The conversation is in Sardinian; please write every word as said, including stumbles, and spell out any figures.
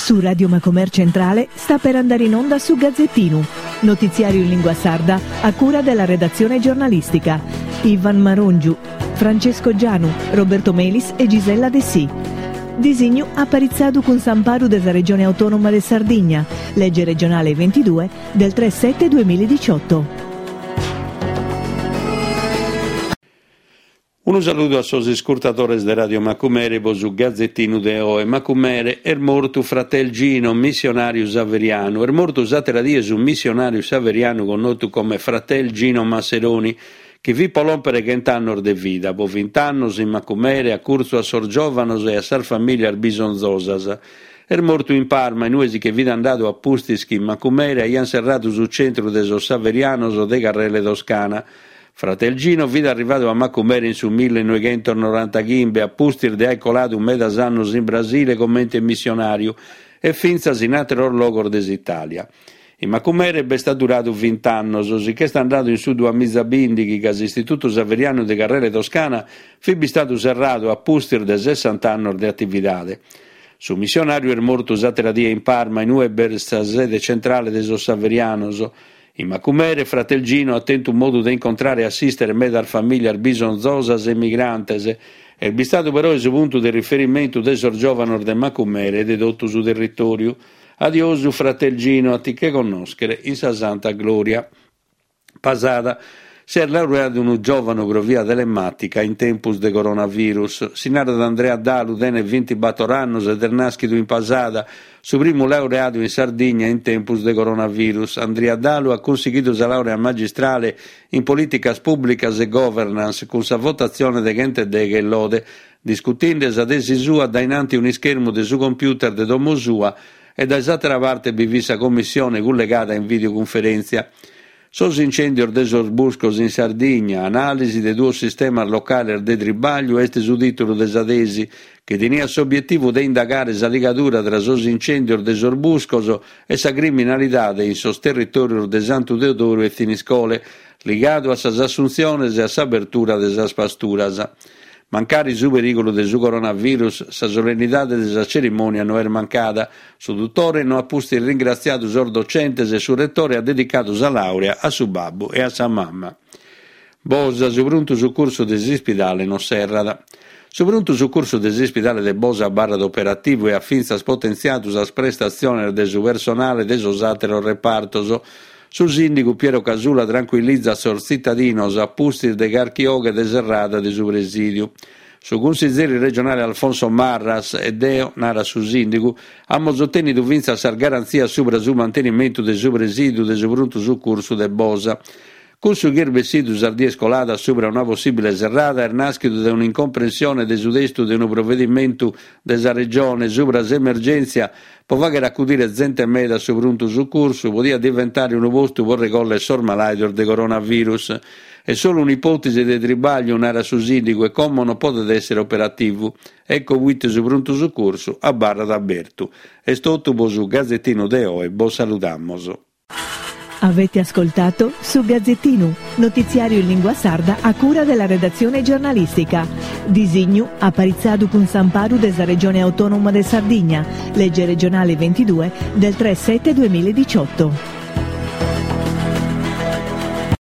Su Radio Macomer Centrale sta per andare in onda su Gazzettinu, notiziario in lingua sarda a cura della redazione giornalistica. Ivan Marongiu, Francesco Gianu, Roberto Melis e Gisella Dessì. Disignu aparitzadu cun s'amparu de sa Regione Autonoma de Sardigna, legge regionale ventidue del tre sette duemiladiciotto. Unu saludu a sos iscurtadores de Radio Macumere po su Gazzettinu de oe. Macumere, est mortu fratel Gino, missionàriu saverianu. Est mortu s'àtera die su missionàriu saverianu connotu come fratel Gino Masseroni, chi fit po lòmpere chent'annos de vida, po vint'annos in Macumere, a curtzu a sos giòvanos e a sas famìlias bisonzosas. Est mortu in Parma, in ue si che fit andadu a pustis chi in Macumere aiant serradu su centru de sos saverianos de Carrele Toscana. Fratel Gino fit arrivadu a Macumere in su millenoighentos norantaghimbe, a pustis de aer coladu medas annos in Brasile comente missionàriu e fintzas in àteros logos de s'Itàlia. In Macumere b'est adduradu vint'annos, si ch'est andadu in su duamizabìndighi ca s'Istitutu Saverianu de Carrele Toscana fit bistadu serradu a pustis de sessant'annos de atividade. Su missionàriu est mortu s'àtera die in Parma, in ue b'est sa sede centrale de sos Saverianos. In Macumere, fratel Gino at tentu modu de incontrare e assistere medas famìlias bisonzosas e migrantes. Est bistadu però su puntu de riferimentu de sos giòvanos de Macumere e de totu su territòriu. Adiosu, fratel Gino, a ti che connòschere in sa Santa Glòria. Pasada, s'est laureadu unu giòvanu pro via telemàtica in tempus de coronavirus. Si narat Andrea Dalu, tenet bintibator annos ed est nàschidu in Pasada, su primu laureadu in Sardigna in tempus de coronavirus. Andrea Dalu at cunsighidu sa laurea magistrale in polìticas pùblicas e governance cun sa votatzione de chent'e deghe e lode, discutinde sa tesi sua dae innanti un'ischermu de su computer de domo sua e dae s'àtera parte bi fit sa commissione cullegada in videocunferèntzia. Sos incèndios de sos buscos in Sardigna, anàlisi de duos sistemas locales de tribàgliu est su tìtulu de sa tesi, chi teniat s'obietivu de indagare sa ligadura tra sos incèndios de sos buscos e sa criminalidade in sos territòrios de Santu Teodoru e Thiniscole, ligadu a sas assuntziones e a s'abertura de sas pasturas. Mancari su perìgulu de su coronavirus, sa solennidade de sa cerimònia no est mancada. Su dutore no at pustis ringratziadu sos docentes e su retore at dedicadu sa laurea a su babbu e a sa mama. Bosa, su pruntu sucursu de s'ispidale non serrat. Su pruntu sucursu de s'ispidale de Bosa abarrat operativu e at fintzas potentziadu sas prestatziones de su personale de sos àteros repartos. Su sìndigu Piero Casula trancuillizat sos tzitadinos a pustis de carchi oghe de serrada de su presìdiu. Su cunsizeri regionale Alfonso Marras e deo, narat su sìndigu, amus otènnidu fintzas sas garantzias subra su mantenimentu de su presìdiu de su pruntu sucursu de Bosa. Cussu chi est bessidu sas dies coladas subra una possìbile serrada est nàschidu dae un'incomprensione de su testu de unu provedimentu de sa Regione subra s'emergèntzia pro fàghere acudire zente meda a su pruntu sucursu podiat diventare unu postu pro regòllere sos malàidos de coronavirus. Est solu un'ipòtesi de tribàgliu, narat su sìndigu, e como non podet èssere operativu. Ecco proite su pruntu sucursu abarrat abertu. Est totu pro su Gazzettinu de oe, bos saludamos. Avete ascoltato su Gazzettinu, notiziario in lingua sarda a cura della redazione giornalistica. Disignu aparitzadu cun s'amparu de sa Regione Autonoma de Sardigna, legge regionale ventidue del tre sette duemiladiciotto.